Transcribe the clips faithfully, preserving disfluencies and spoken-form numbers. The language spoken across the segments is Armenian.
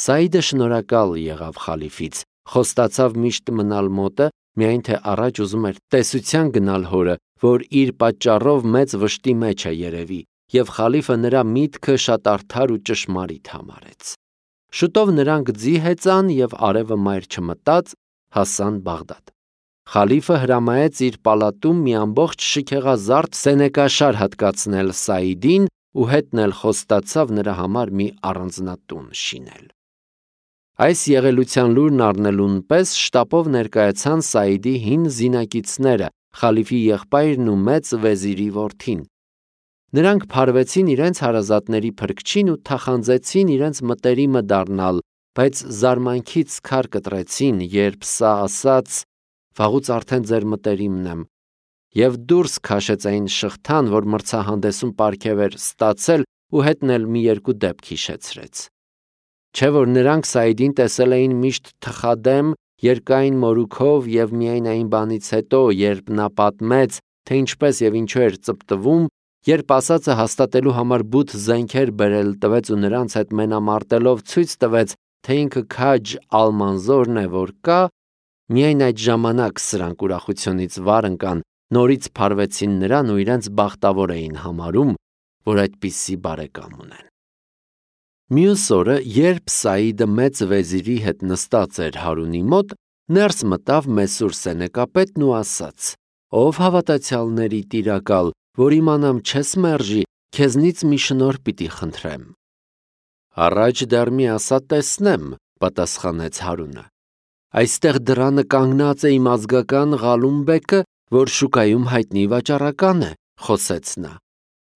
Սաիդը շնորհակալ եղավ խալիֆից, խոստացավ միշտ մնալ մոտը, միայն թե առաջ ուզում էր տեսության գնալ հորը, որ իր պատճառով մեծ վշտի մեջ է երևի, եւ խալիֆը նրա միտքը շատ արդար ու ճշմարիտ համարեց։ Շուտով նրանք ձի հեծան եւ արևը մայր չմտած հասան Բաղդադ։ Խալիֆը հրամայեց իր պալատում մի ամբողջ շքեղազարդ սենեկաշար հատկացնել Սաիդին ու հետն էլ խոստացավ նրա համար մի առանձնատուն շինել։ Այս եղելության լուրն առնելուն պես շտապով ներկայացան Սաիդի հին զինակիցները, խալիֆի եղբայրն ու մեծ վեզիրի որդին։ Նրանք փարվեցին իրենց հարազատների փրկչին ու թախանձեցին իրենց մտերիմը դառնալ, բայց զարմանքից քար կտրեցին, երբ սա ասաց. «Վաղուց արդեն ձեր մտերիմն եմ», եւ դուրս քաշեց այն շղթան, որ մրցահանդեսում պարգև էր ստացել ու հետն էլ մի երկու դեպք հիշեցրեց։ Չէ որ նրանք Սաիդին տեսել էին միշտ թխադեմ, երկայն մորուքով եւ միայն այն բանից հետո, երբ նա պատմեց, թե ինչպես եւ ինչու էր ծպտվում, երբ ասածը հաստատելու համար բութ զենքեր բերել տվեց ու նրանց հետ մենամարտելով ցույց տվեց, թե ինքը քաջ Ալմանզորն է, որ կա, միայն այդ ժամանակ սրանք ուրախությունից վար ընկան, նորից փարվեցին նրան ու իրենց բախտավոր էին համարում, որ այդպիսի բարեկամ ունեն։ Մյուս օրը, երբ Սաիդը մեծ վեզիրի հետ նստած էր Հարունի մոտ, ներս մտավ Մեսուր սենեկապետն ու ասաց. «Ով հավատացյալների տիրակալ, որ իմանամ չես մերժի, քեզնից մի շնորհ պիտի խնդրեմ»։ «Առաջ դեռ մի ասա տեսնեմ», պատասխանեց Հարունը։ «Այստեղ դռանը կանգնած է իմ ազգական Ղալում-բեկը, որ շուկայում հայտնի վաճառական է», խոսեց նա։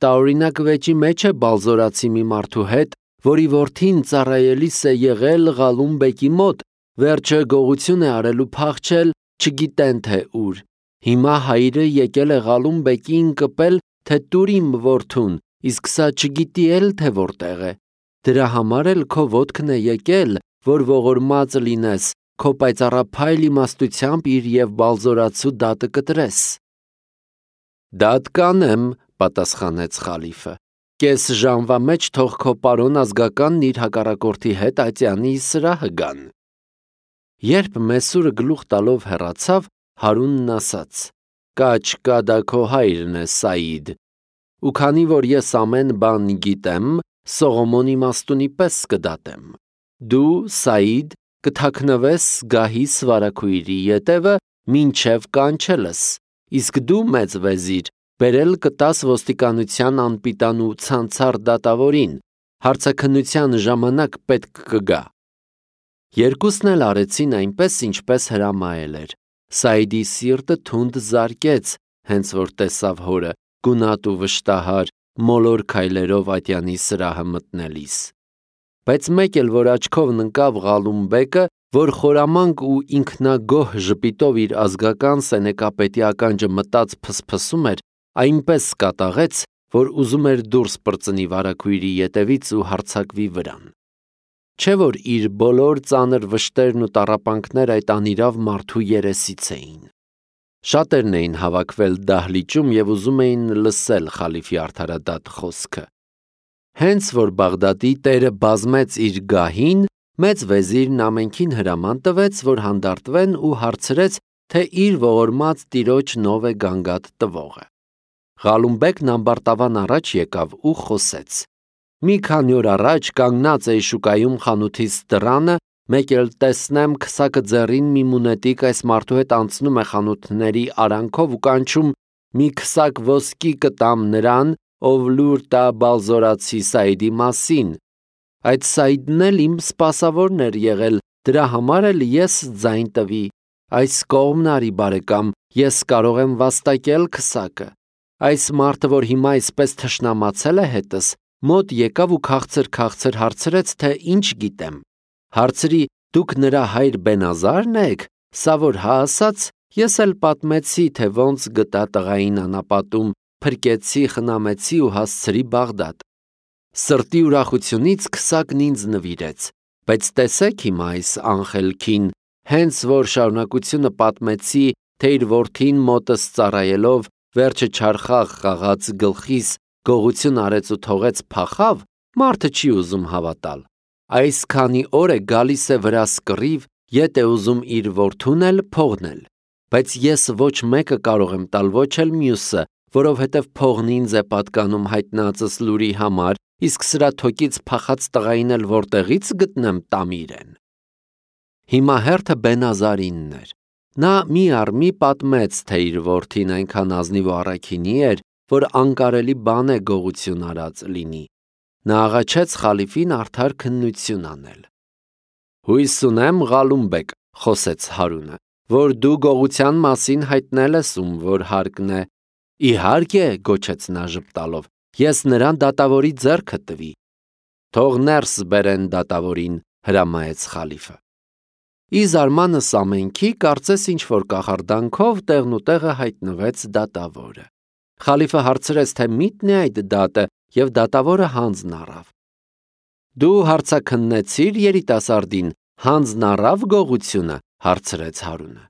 «Տարօրինակ վեճի մեջ է բալզորացի մի մարդու հետ, որի որդին ծառայելիս է եղել Ղալում-բեկի մոտ, վերջը գողություն է արել ու փախչել, չգիտեն թե ուր։ Հիմա հայրը եկել է Ղալում-բեկին կպել, թե տուր իմ որդուն, իսկ սա չգիտի էլ թե որտեղ է։ Դրա համար էլ քո ոտքն է եկել, որ ողորմած լինես, քո պայծառափայլ իմաստությամբ իր եւ բալզորացու դատը կտրես»։ «Դատ կանեմ», պատասխանեց խալիֆը։ «Կես ժամվա մեջ թող քո պարոն ազգականն իր հակառակորդի հետ ատյանի սրահը գան»։ Երբ Մեսուրը գլուխ տալով հեռացավ, Հարունն ասաց. «Կա չկա դա քո հայրն է, Սաիդ, ու քանի որ ես ամեն բան գիտեմ, Սողոմոն իմաստունի պես կդատեմ։ Դու, Սաիդ, կթաքնվես գահի սվարաքույրի ետևը, մինչև կանչելս, իսկ դու, մեծ վեզիր, բերել կտաս ոստիկանության անպիտան ու ցանցառ դատավորին, հարցաքննության ժամանակ պետք կգա»։ Երկուսն էլ արեցին այնպես, ինչպես հրամայել էր։ Սաիդի սիրտը թունդ զարկեց, հենց որ տեսավ հորը, գունատ ու վշտահար, մոլոր քայլերով ատյանի սրահը մտնելիս։ Բայց մեկ էլ որ աչքով ընկավ Ղալում-բեկը, որ խորամանկ ու ինքնագոհ ժպիտով իր ազգական սենեկապետի ականջը մտած փսփսում էր, այնպես կատաղեց, որ ուզում էր դուրս պրծնի վարագույրի ետևից ու հարձակվի վրան։ Չէ որ իր բոլոր ծանր վշտերն ու տառապանքները այդ անիրավ մարդու երեսից էին։ Շատերն էին հավաքվել դահլիճում եւ ուզում էին լսել խալիֆի արդարադատ խոսքը։ Հենց որ Բաղդադի տերը բազմեց իր գահին, մեծ վեզիրն ամենքին հրաման տվեց, որ հանդարտվեն ու հարցրեց, թե իր ողորմած տիրոջ նով է գանգատ տվողը։ Ղալում-բեկն ամբարտավան առաջ եկավ ու խոսեց. «Մի քանի օր առաջ կանգնած էի շուկայում խանութիս դռանը, մեկ էլ տեսնեմ քսակը ձեռին մի մունետիկ այս մարդու հետ անցնում է խանութների արանքով ու կանչում. մի քսակ ոսկի կտամ նրան, ով լուր տա բալզորացի Սաիդի մասին։ Այդ Սաիդն էլ իմ սպասավորն էր եղել, դրա համար էլ ես ձայն տվի։ Այս կողմն արի բարեկամ, ես կարող եմ վաստակել քսակը։ Այս մարդը, որ հիմա այսպես թշնամացել է հետս, մոտ եկավ ու քաղցր-քաղցր հարցրեց, թե ինչ գիտեմ։ Հարցրի, դուք նրա հայր Բենազարն եք, սա որ հա ասաց, ես էլ պատմեցի, թե ոնց գտա տղային անապատում, փրկեցի, խնամեցի ու հասցրի Բաղդադ։ Սրտի ուրախությունից քսակն ինձ նվիրեց, բայց տեսեք հիմա այս անխելքին, հենց որ շարունակությունը պատմեցի, թե իր որդին մոտս ծառայելով, վերջը չարխաղ խաղաց գլխիս, գողություն արեց ու թողեց փախավ, մարդը չի ուզում հավատալ։ այս քանի օր է գալիս է վրա սկռիվ, ետ է ուզում իր որդուն էլ փողնել, բայց ես ոչ մեկը կարող եմ տալ, ոչ էլ մյուսը, որովհետև փողն ինձ է պատկանում հայտնածս լուրի համար, իսկ սրա թոկից փախած տղային էլ որտեղից գտնեմ տամ իրեն։ Հիմա հերթը Բենազարինն էր։ Նա մի առ մի պատմեց, թե իր որդին այնքան ազնիվ ու առաքինի էր, որ անկարելի բան է գողություն արած լինի։ Նա աղաչեց խալիֆին արդար քննություն անել։ Հույս ունեմ, Ղալումբեկ, խոսեց Հարունը, որ դու գողության մասին հայտնել ես ում որ հարկն է։ Իհարկե, գոչեց նա ժպտալով, ես նրան դատավորի ձեռքը տվի։ Թող ներս բերեն դատավորին, հրամայեց խալիֆը։ Ի զարմանս ամենքի կարծես ինչ-որ կախարդանքով տեղնուտեղը հայտնվեց դատավորը։ Խալիֆը հարցրեց, թե միտն է այդ դատը, և դատավորը հանձն առավ։ Դու հարցաքննեցիր երիտասարդին, հանձն առավ գողությունը, հարցրեց Հարունը։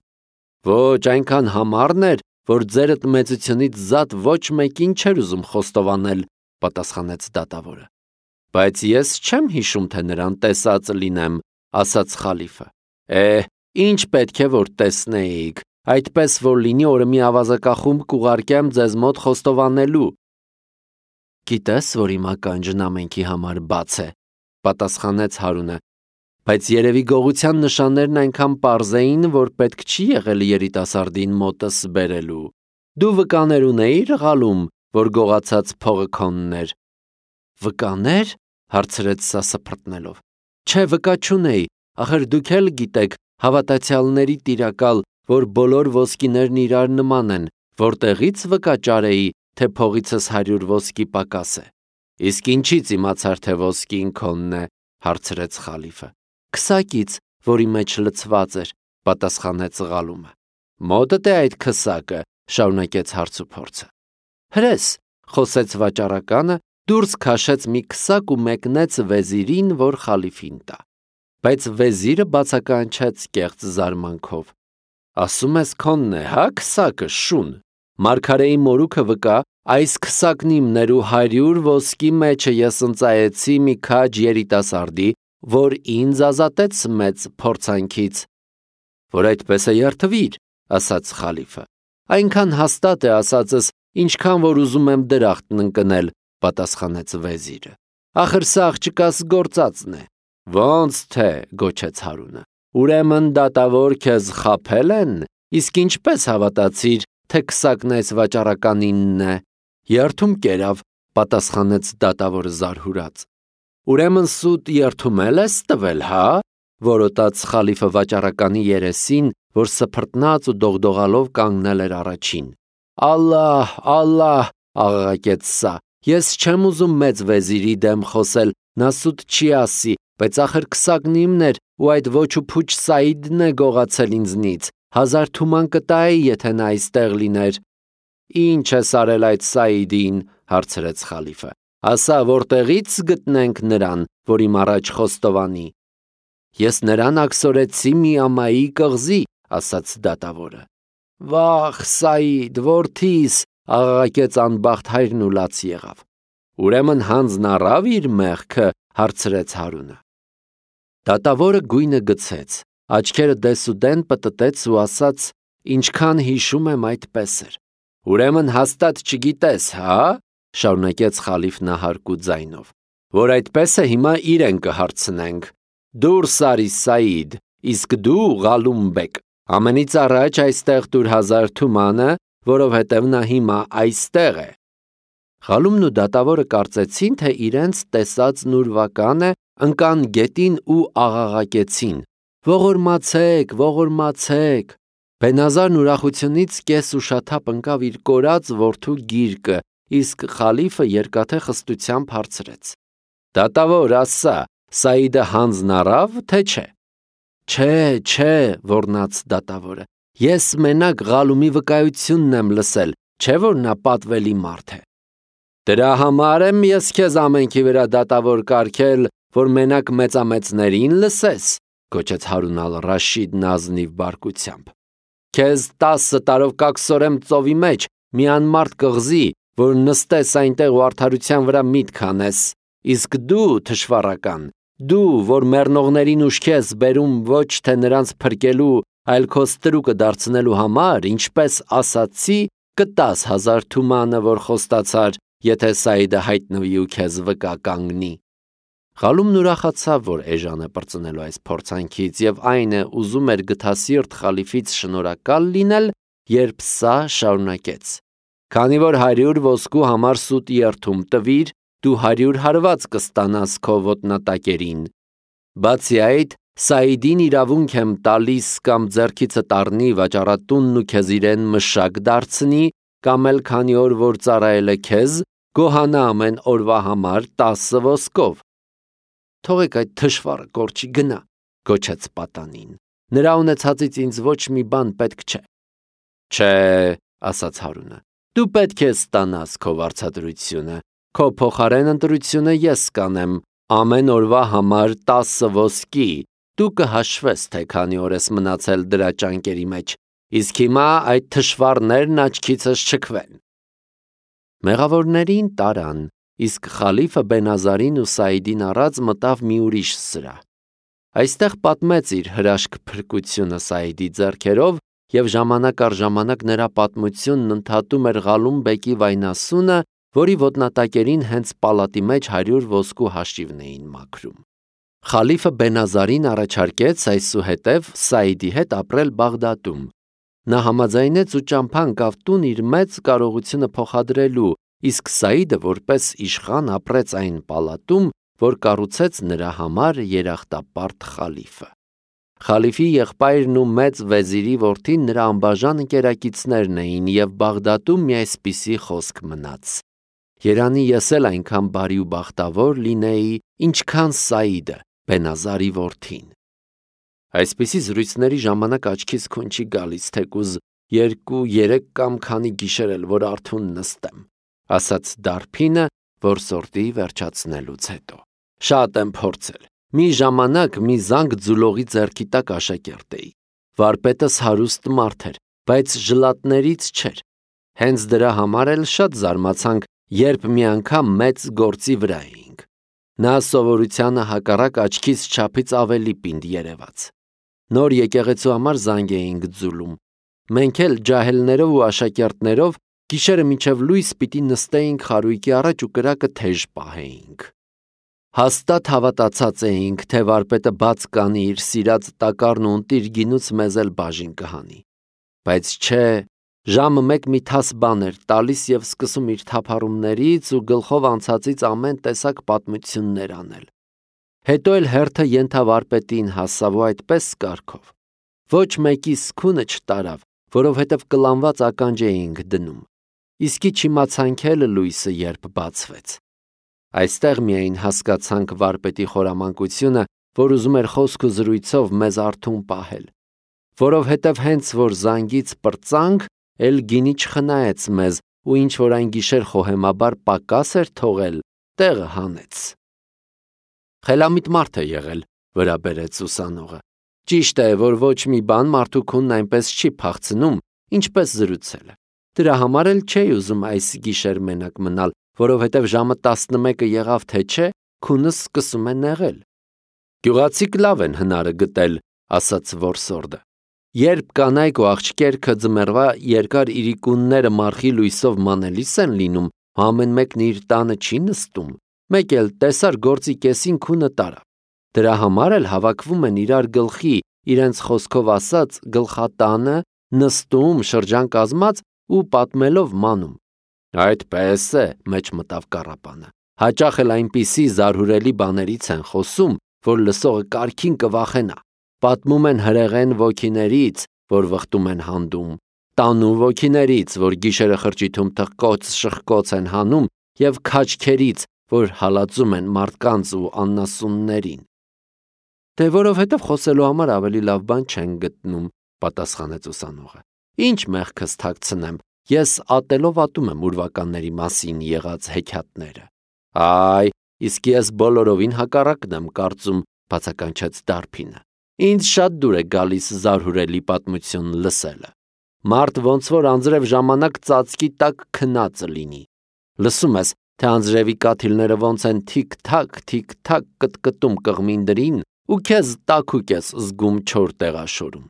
Ոչ, այնքան համառն էր, որ ձերդ մեծությունից զատ ոչ մեկին չէր ուզում խոստովանել, պատասխանեց դատավորը։ Բայց ես չեմ հիշում, թե նրան տեսած լինեմ, ասաց խալիֆը։ Է, ինչ պետք է որ տեսնեիք, այդպես որ լինի օրը մի ավազակախումբ կուղարկեմ ձեզ մոտ խոստովանելու։ Գիտես, որ իմ ականջն ամենքի համար բաց է, պատասխանեց Հարունը, բայց երևի գողության նշաններն այնքան պարզ էին, որ պետք չի եղել երիտասարդին մոտս բերելու։ Դու վկաներ ունեիր, Ղալում, որ գողացած փողը քոնն էր։ Վկաներ, հարցրեց սա սփռտնելով։ Չէ, վկա չունեի, ախր դուք էլ գիտեք, հավատացյալների տիրակալ, որ բոլոր ոսկիներն իրար նման են, որտեղից վկա ճարեի, թե փողիցս հարյուր ոսկի պակաս է։ Իսկ ինչից իմացար, թե ոսկին քոնն է, հարցրեց խալիֆը։ Քսակից, որի մեջ լցված էր, պատասխանեց Ղալումը։ Մոտդ է այդ քսակը, շարունակեց հարցուփորձը։ Հրես, խոսեց վաճառականը, դուրս քաշեց մի քսակ ու մեկնեց վեզիրին, որ խալիֆին տա։ Բայց վեզիրը բացականչեց կեղծ զարմանքով։ Ասում ես քոնն է, հա, քսակը, շուն։ Մարգարեի մորուքը վկա, այս քսակն իմն էր ու հարյուր ոսկի մեջը ես ընծայեցի մի քաջ երիտասարդի, որ ինձ ազատեց մեծ փորձանքից։ Որ այդպես է երթվիր, ասաց խալիֆը։ Այնքան հաստատ է ասածս, ինչքան որ ուզում եմ դրախտն ընկնել, պատասխանեց վեզիրը։ Ախր սա աղջկաս գործածն է։ Ոնց թե, գոչեց Հարունը, ուրեմն դատավոր քեզ խաբել են, իսկ ինչպես հավատացիր, թե քսակն այս վաճառականինն է։ Երթում կերավ, պատասխանեց դատավորը զարհուրած։ Ուրեմն սուտ երթումել ես տվել, հա, որոտաց խալիֆը վաճառականի երեսին, որ սփռտնած ու դողդողալով կանգնել էր առաջին։ Ալլահ, ալլահ, աղաղակեց սա, ես չեմ ուզում մեծ վեզիրի դեմ խոսել, նա սուտ չի ասի, բայց ախր քսակն իմն էր ու այդ ոչ ու փուչ Սաիդն է գողացել ինձնից, հազար թուման կտայի, եթե նա այստեղ լիներ։ Ինչ ես արել այդ Սաիդին, հարցրեց խալիֆը։ Ասա, որտեղից գտնենք նրան, որ իմ առաջ խոստովանի։ Ես նրան աքսորեցի մի ամայի կղզի, ասաց դատավորը։ Վախ, Սաիդ, որդիս, աղաղակեց անբախտ հայրն ու լաց եղավ։ Ուրեմն հանձն առավ իր մեղքը, հարցրեց Հարունը։ Դատավորը գույնը գցեց, աչքերը դեսուդեն պտտեց ու ասաց, ինչքան հիշում եմ այդպես էր։ Ուրեմն հաստատ չգիտես, հա, շարունակեց խալիֆն ահարկու ձայնով, որ այդպես է հիմա իրեն կհարցնենք։ Դուրս արի Սաիդ, իսկ դու Ղալումբեկ, ամենից առաջ այստեղ տուր հազար թումանը, որովհետև նա հիմա այստեղ է։ Ղալումն ու դատավորը կարծեցին, թե իրենց տեսածն ուրվական է, ընկան գետին ու աղաղակեցին. Ողորմացեք, ողորմացեք։ Բենազարն ուրախությունից կես ուշաթափ ընկավ իր կորած որդու գիրկը, իսկ խալիֆը երկաթե խստությամբ հարցրեց. Դատավոր, ասա, Սաիդը հանձն առավ, թե չէ։ Չէ, չէ, ոռնաց դատավորը։ Ես մենակ Ղալումի վկայությունն եմ լսել, չէ որ նա պատվելի մարդ է։ Դրա համար եմ ես քեզ ամենքի վրա դատավոր կարգել, որ մենակ մեծամեծներին լսես, գոչեց Հարուն ալ-Ռաշիդն ազնիվ բարկությամբ։ Քեզ տասը տարով կաքսորեմ ծովի մեջ, մի անմարդ կղզի, որ նստես այնտեղ ու արդարության վրա միտք անես, իսկ դու, թշվառական, Դու, որ մեռնողներին ուշքի ես բերում ոչ թե նրանց փրկելու, այլ քո ստրուկը դարձնելու համար, ինչպես ասացի, կտաս հազար թումանը, որ խոստացար, եթե Սաիդը հայտնվի ու քեզ վկա կանգնի։ Խալումն ուրախացավ, որ էժանը պրծնելու այս փորձանքից, եւ այն է ուզում էր գթասիրտ խալիֆից շնորհակալ լինել, երբ սա շարունակեց. Քանի որ հարյուր ոսկու համար սուտ երթում տվիր, դու հարյուր հարված կստանաս քո ոտնատակերին։ Բացի այդ, Սաիդին իրավունք եմ տալիս կամ ձեռքիցդ առնի վաճառատունն ու քեզ իրեն մշակ դարձնի, կամ էլ քանի օր որ ծառայել է քեզ, գոհանա ամեն օրվա համար տասը ոսկով։ Թողեք այդ թշվառը կորչի գնա, գոչեց պատանին։ Նրա ունեցածից ինձ ոչ մի բան պետք չէ։ Չէ, ասաց Հարունը, դու պետք է ստանաս քո վարձատրությունը, քո փոխարեն ընտրությունը ես կանեմ, ամեն օրվա համար տասը ոսկի, դու կհաշվես, թե քանի օր ես մնացել դրա ճանկերի մեջ, իսկ հիմա այդ թշվառներն աչքիցս չքվեն։ Մեղավորներին տարան, իսկ խալիֆը Բենազարին ու Սաիդին առած մտավ մի ուրիշ սրահ։ Այստեղ պատմեց իր հրաշք փրկությունը Սաիդի ձեռքերով, եւ ժամանակ առ ժամանակ նրա պատմությունն ընդհատում էր Ղալում բեկի վայնասունը, որի ոտնատակերին հենց պալատի մեջ հարյուր ոսկու հաշիվն էին մաքրում։ Խալիֆը Բենազարին առաջարկեց այսուհետև Սաիդի հետ ապրել Բաղդադում։ Նա համաձայնեց ու ճամփա ընկավ տուն իր մեծ կարողությունը փոխադրելու, իսկ Սաիդը որպես իշխան ապրեց այն պալատում, որ կառուցեց նրա համար երախտապարտ խալիֆը։ Խալիֆի եղբայրն ու մեծ վեզիրի որդին նրա անբաժան ընկերակիցներն էին, եւ Բաղդադում մի այսպիսի խոսք մնաց. Երանի ես էլ այնքան բարի ու բախտավոր լինեի, ինչքան Սաիդը, Բենազարի որդին։ Այսպիսի զրույցների ժամանակ աչքիս քուն չի գալիս, թեկուզ երկու, երեք կամ քանի գիշեր էլ որ արթուն նստեմ, ասաց Դարփինը, որ սորտի վերջացնելուց հետո։ Շատ եմ փորձել։ Մի ժամանակ մի զանգ ձուլողի ձեռքի տակ աշակերտ էի։ Վարպետս հարուստ մարդ էր, բայց ժլատներից չէր։ Հենց դրա համար էլ շատ զարմացանք, երբ մի անգամ մեծ գործի վրա էինք։ Նա սովորությանը հակառակ աչքիս չափից ավելի պինդ երևաց։ Նոր եկեղեցու համար զանգ էինք ձուլում։ Մենք էլ ջահելներով ու աշակերտներով գիշերը մինչև լույս պիտի նստեինք խարույկի առաջ ու կրակը թեժ պահեինք։ Հաստատ հավատացած էինք, թե վարպետը բաց կանի իր սիրած տակառն ու ընտիր գինուց մեզ էլ բաժին կհանի։ Բայց չէ, ժամը մեկ մի թաս բան էր տալիս եւ սկսում իր թափառումներից ու գլխով անցածից ամեն տեսակ պատմություններ անել։ Հետո էլ հերթը ենթավարպետին հասավ ու այդպես կարգով։ Ոչ մեկի սկունը չտարավ, որովհետև կլանված ականջ էինք դնում։ Իսկի չիմացանք էլ լույսը երբ բացվեց։ Այստեղ միայն հասկացանք վարպետի խորամանկությունը, որ ուզում էր խոսք ու զրույցով մեզ արթուն պահել, որովհետև հենց որ զանգից պրծանք, էլ գինի չխնայեց մեզ ու ինչ որ այն գիշեր խոհեմաբար պակաս էր թողել, տեղը հանեց։ Խելամիտ մարդ է եղել, վրա բերեց ուսանողը։ Ճիշտ է, որ ոչ մի բան մարդու քունն այնպես չի փախցնում, ինչպես զրուցելը։ Դրա համար էլ չէի ուզում այս գիշեր մենակ մնալ, որովհետև ժամը տասնմեկը եղավ թե չէ, քունս սկսում է նեղել։ Գյուղացիք լավ են հնարը գտել, ասաց որսորդը։ Երբ կանայք ու աղջիկերքը ձմեռվա երկար իրիկունները մարխի լույսով մանելիս են լինում, ամեն մեկն իր տանը չի նստում, մեկ էլ տեսար գործի կեսին քունը տարավ։ Դրա համար էլ հավաքվում են իրար գլխի, իրենց խոսքով ասած գլխատանը, նստում, շրջան կազմած ու պատմելով մանում։ Այդպես է, մեջ մտավ Կառապանը։ Հաճախ էլ այնպիսի զարհուրելի բաներից են խոսում, որ լսողը կարքին կվախենա։ Պատմում են հրեղեն ոգիներից, որ վխտում են հանդում, տանու ոգիներից, որ գիշերը խրճիթում թխկոց շխկոց են հանում, եւ քաչքերից, որ հալածում են մարդկանց ու աննասուններին։ Դե որովհետև խոսելու համար ավելի լավ բան չեն գտնում, պատասխանեց ուսանողը։ Ինչ մեղքս թաքցնեմ, ես ատելով ատում եմ ուրվականների մասին եղած հեքիաթները։ Այ, իսկ ես բոլորովին հակառակն եմ կարծում, բացականչեց Դարփինը։ Ինձ շատ դուր է գալիս զարհուրելի պատմություն լսելը։ Մարդ ոնց որ անձրև ժամանակ ծածկի տակ քնածը լինի։ Լսում ես, թե անձրևի կաթիլները ոնց են թիք-թակ, թիք-թակ կտկտում կղմին դրին ու քեզ տաքուկ ես զգում չոր տեղաշորում։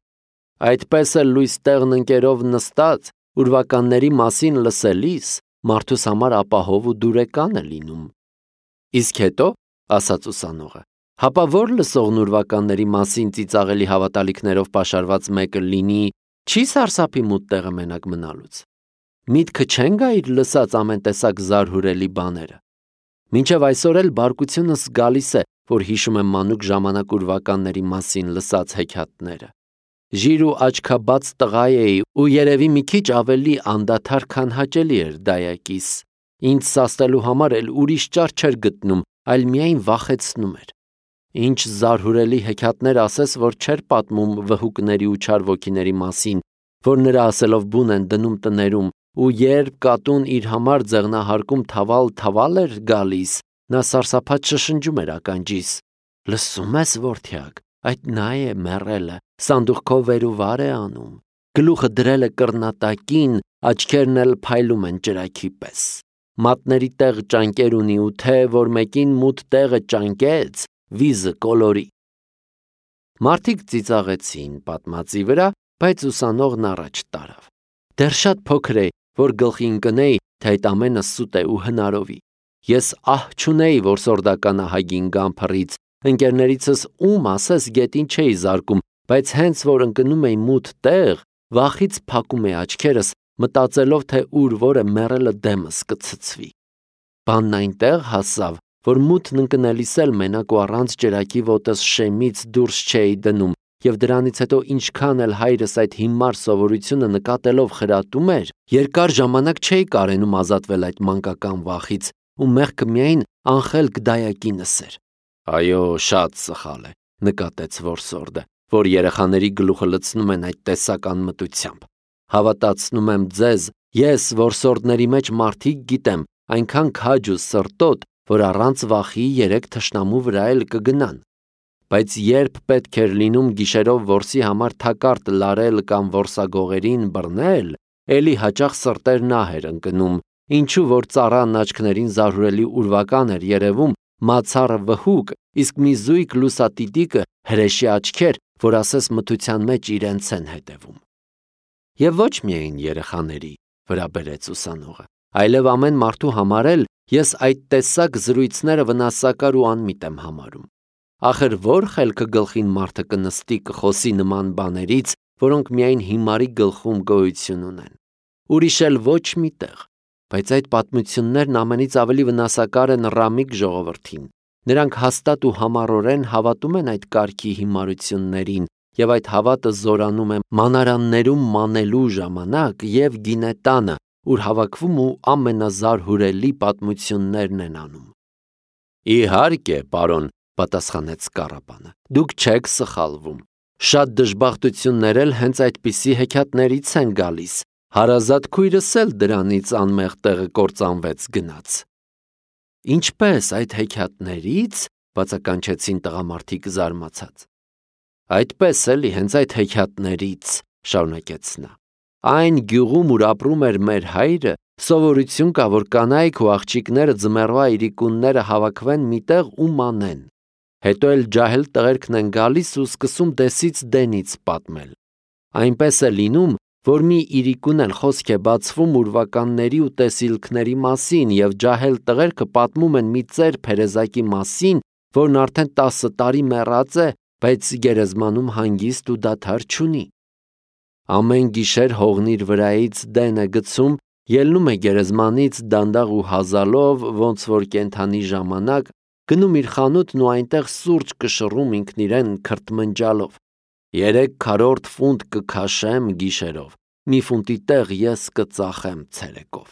Այդպես էլ լույս տեղն ընկերով նստած ուրվականների մասին լսելիս մարդուս համար ապահով ու դուրեկան է լինում։ Իսկ հետո, ասաց ուսանողը, հապա որ լսողն ուրվականների մասին ծիծաղելի հավատալիքներով պաշարված մեկը լինի, չի սարսափի մութ տեղը մենակ մնալուց։ Միտքը չեն գա իր լսած ամեն տեսակ զարհուրելի բաները։ Մինչև այսօր էլ բարկությունս գալիս է, որ հիշում եմ մանուկ ժամանակ ուրվականների մասին լսած հեքիաթները։ Ժիր ու աչքաբաց տղա էի ու երևի մի քիչ ավելի անդադար, քան հաճելի էր դայակիս։ Ինձ սաստելու համար էլ ուրիշ ճար չէր գտնում, այլ միայն վախեցնում էր։ Ինչ զարհուրելի հեքիաթներ ասես, որ չէր պատմում վհուկների ու չար ոգիների մասին, որ նրա ասելով բուն են դնում տներում, ու երբ կատուն իր համար ձեղնահարկում թավալ-թավալ էր գալիս, նա սարսափած շշնջում էր ականջիս. «Լսում ես, որդյակ, այդ նա է մեռելը, սանդուղքով վեր ու վար է անում, գլուխը դրել է կռնատակին, աչքերն էլ փայլում են ճրագի պես, մատների տեղ ճանկեր ունի ու թե, որ մեկին մութ տեղը ճանկեց, վիզը կոլորի»։ Մարդիկ ծիծաղեցին պատմածի վրա, բայց ուսանողն առաջ տարավ։ Դեռ շատ փոքր էի, որ գլխի ընկնեի, թե այդ ամենը սուտ է ու հնարովի։ Ես ահ չունեի, որ սորդական ահագին գամ փռից, ընկերներիցս ում ասես գետին չէի զարկում, բայց հենց որ ընկնում էի մութ տեղ, վախից փակում էի աչքերս, մտածելով, թե ուր որը մեռելը դեմս կցցվի։ Բանն այնտեղ հասավ, որ մութն ընկնելիս էլ մենակ ու առանց ճրագի ոտս շեմից դուրս չէի դնում, և դրանից հետո ինչքան էլ հայրս այդ հիմար սովորությունը նկատելով խրատում էր, երկար ժամանակ չէի կարենում ազատվել այդ մանկական վախից, ու մեղքը միայն անխելք դայակինս էր։ Այո, շատ սխալ է, նկատեց որսորդը, որ երեխաների գլուխը լցնում են այդ տեսակ անմտությամբ։ Հավատացնում եմ ձեզ, ես որսորդների մեջ մարդիկ գիտեմ, այնքան քաջ ու սրտոտ, որ առանց վախի երեք թշնամու վրա էլ կգնան։ Բայց երբ պետք էր լինում գիշերով որսի համար թակարդ լարել կամ որսագողերին բռնել, էլի հաճախ սրտերն ահ էր ընկնում, ինչու որ ծառան աչքներին զարհուրելի ուրվական էր երևում, մացառը վհուկ, իսկ մի զույգ լուսատիտիկը հրեշի աչքեր, որ ասես մթության մեջ իրենց են հետևում։ Եվ ոչ միայն երեխաների, վրա բերեց ուսանողը, այլև ամեն մարդու համար էլ ես այդ տեսակ զրույցները վնասակար ու անմիտ եմ համարում։ Ախր որ խելքը գլխին մարդը կնստի կխոսի նման բաներից, որոնք միայն հիմարի գլխում գոյություն ունեն։ Ուրիշ էլ ոչ մի տեղ, բայց այդ պատմություններն ամենից ավելի վնասակար են ռամիկ ժողովրդին։ Նրանք հաստատ ու համառորեն հավատում են այդ կարգի հիմարություններին, և այդ հավատը զորանում է մանարաններում մանելու ժամանակ և գինետանը, ուր հավաքվում ու ամենազարհուրելի պատմություններն են անում։ Իհարկե, պարոն, պատասխանեց կառապանը, դուք չեք սխալվում։ Շատ դժբախտություններ էլ հենց այդպիսի հեքիաթներից են գալիս, հարազատ քույրս էլ դրանից անմեղ տեղը կործանվեց գնաց։ Ինչպես այդ հեքիաթներից, բացականչեցին տղամարդիկ զարմացած։ Այդպես էլի, հենց այդ հեքիաթներից, շարունակեց նա։ Այն գյուղում, ուր ապրում էր մեր հայրը, սովորություն կա, որ կանայք ու աղջիկները ձմեռվա իրիկունները հավաքվեն միտեղ ու մանեն։ Հետո էլ ջահել տղերքն են գալիս ու սկսում դեսից դենից պատմել։ Այնպես է լինում, որ մի իրիկուն էլ խոսք է բացվում ուրվականների ու տեսիլքների մասին, և ջահել տղերքը պատմում են մի ծեր փերեզակի մասին, որն արդեն տասը տարի մեռած է, բայց գերեզմանում հանգիստ ու դադար չունի։ Ամեն գիշեր հողն իր վրայից դեն է գցում, ելնում է գերեզմանից դանդաղ ու հազալով, ոնց որ կենդանի ժամանակ, գնում իր խանութն ու այնտեղ սուրճ կշռում ինքն իրեն քրթմնջալով։ Երեք քառորդ ֆունտ կքաշեմ գիշերով, մի ֆունտի տեղ ես կծախեմ ցերեկով։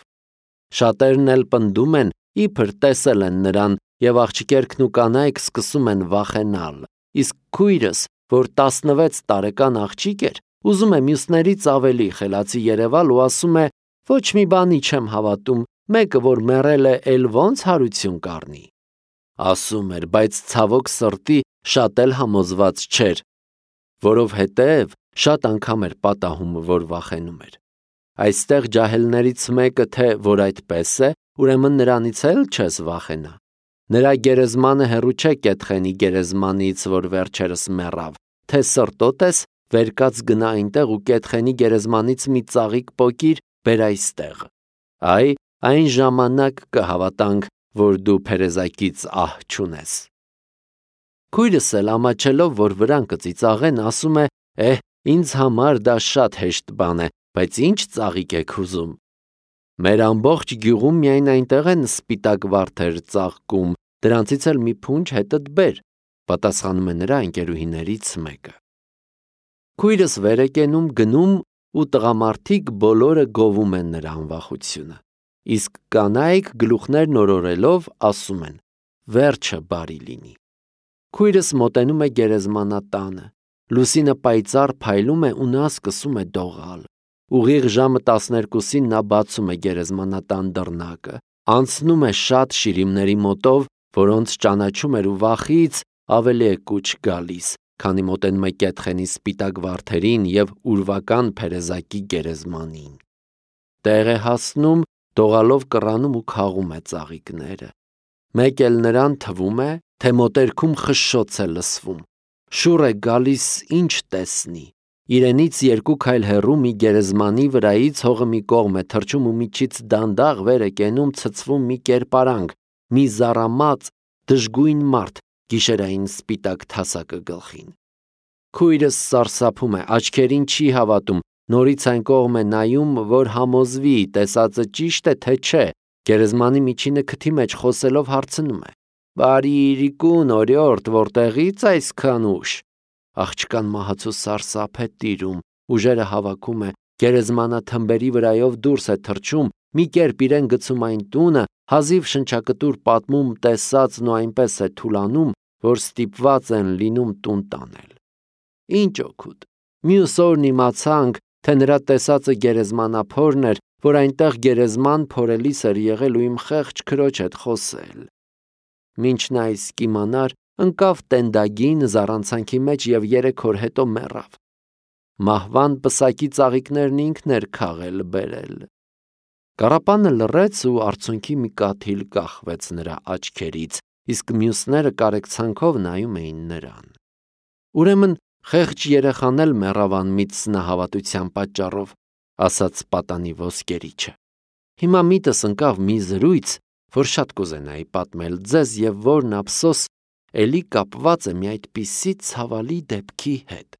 Շատերն էլ պնդում են, իբր տեսել են նրան, և աղջիկերքն ու կանայք սկսում են վախենալ, իսկ քույրս, որ տասնվեց տարեկան աղջիկ էր, ուզում է մյուսներից ավելի խելացի երևալ ու ասում է. ոչ մի բանի չեմ հավատում, մեկը որ մեռել է, էլ ոնց հարություն կառնի։ Ասում էր, բայց ցավոք սրտի շատ էլ համոզված չէր, որովհետև շատ անգամ էր պատահում, որ վախենում էր։ Այստեղ ջահելներից մեկը թե որ այդպես է, ուրեմն նրանից էլ չես վախենա։ Նրա գերեզմանը հեռու չէ Կեդխենի գերեզմանից, որ վերջերս մեռավ, թե սրտոտ ես, վեր կաց գնա այնտեղ ու Կեդխենի գերեզմանից մի ծաղիկ պոկիր, բեր այստեղ։ Այ, այն ժամանակ կհավատանք, որ դու փերեզակից ահ չունես։ Քույրս էլ ամաչելով, որ վրան կծիծաղեն, ասում է. «Էհ, ինձ համար դա շատ հեշտ բան է, բայց ինչ ծաղիկ եք ուզում։ Մեր ամբողջ գյուղում միայն այնտեղ են սպիտակ վարդեր ծաղկում, դրանցից էլ մի փունջ հետդ բեր», պատասխանում է նրա ընկերուհիներից մեկը։ Քույրս վեր է կենում, գնում ու տղամարդիկ բոլորը գովում են նրա անվախությունը։ Իսկ կանայք գլուխներն օրորելով ասում են. «Վերջը բարի լինի»։ Քույրս մոտենում է գերեզմանատանը։ Լուսինը պայծառ փայլում է ու նա սկսում է դողալ։ Ուղիղ ժամը տասներկուսին նա բացում է գերեզմանատան դռնակը, անցնում է շատ շիրիմների մոտով, որոնց ճանաչում էր ու վախից ավելի է կուչ գալիս, քանի մոտենում է Կեդխենի սպիտակ վարդերին և ուրվական փերեզակի գերեզմանին։ Տեղ է հասնում, դողալով կռանում ու քաղում է ծաղիկները։ Մեկ էլ նրան թվում է, թե մոտերքում խշշոց է լսվում։ Շուռ է գալիս, ինչ տեսնի։ Իրենից երկու քայլ հեռու մի գերեզմանի վրայից հողը մի կողմ է թռչում ու միջից դանդաղ վեր է կենում ցցվում մի կերպարանք, մի զառամած, դժգույն մարդ, գիշերային սպիտակ թասակը գլխին։ Քույրս սարսափում է, աչքերին չի հավատում, նորից այն կողմ է նայում, որ համոզվի, տեսածը ճիշտ է, թե չէ։ Գերեզմանի միջինը քթի մեջ խոսելով հարցնում է. «Բարի իրիկուն, օրիորդ, որտեղից այսքան ուշ»։ Աղջկան մահացու սարսափ է տիրում, ուժերը հավաքում է, գերեզմանաթմբերի վրայով դուրս է թռչում, մի կերպ իրեն գցում այն տունը, հազիվ շնչակտուր պատմում տեսածն ու այնպես է թուլանում, որ ստիպված են լինում տուն տանել։ Ինչ օգուտ։ Մյուս օրն իմացանք, թե նրա տեսածը գերեզմանափորն էր, որ այնտեղ գերեզման փորելիս էր եղել ու իմ խեղճ քրոջ հետ խոսել։ Մինչ նա իսկ իմանար, ընկավ տենդագին զառանցանքի մեջ և երեք օր հետո մեռավ։ Մահվան պսակի ծաղիկներն ինքն էր քաղել բերել։ Կառապանը լռեց ու արցունքի մի կաթիլ կախվեց նրա աչքերից, իսկ մյուսները կարեկցանքով նայում էին նրան։ Ուրեմն խեղճ երեխան էլ մեռավ անմիտ սնահավատության պատճառով, ասաց պատանի ոսկերիչը։ Հիմա միտս ընկավ մի զրույց, որ շատ կուզենայի պատմել ձեզ և որն ափսոս էլի կապված է մի այդպիսի ցավալի դեպքի հետ։